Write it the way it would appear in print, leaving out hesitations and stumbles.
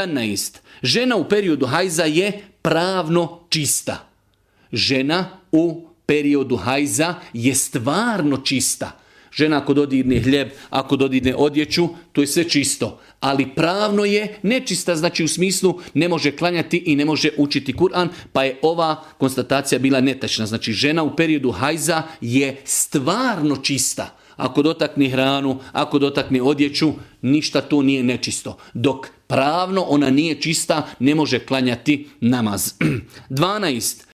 11. Žena u periodu hajza je pravno čista. Žena u periodu hajza je stvarno čista. Žena ako dodirne hljeb, ako dodirne odjeću, to je sve čisto. Ali pravno je nečista, znači u smislu ne može klanjati i ne može učiti Kur'an, pa je ova konstatacija bila netačna. Znači žena u periodu hajza je stvarno čista. Ako dotakne hranu, ako dotakne odjeću, ništa tu nije nečisto. Dok pravno ona nije čista, ne može klanjati namaz. 12.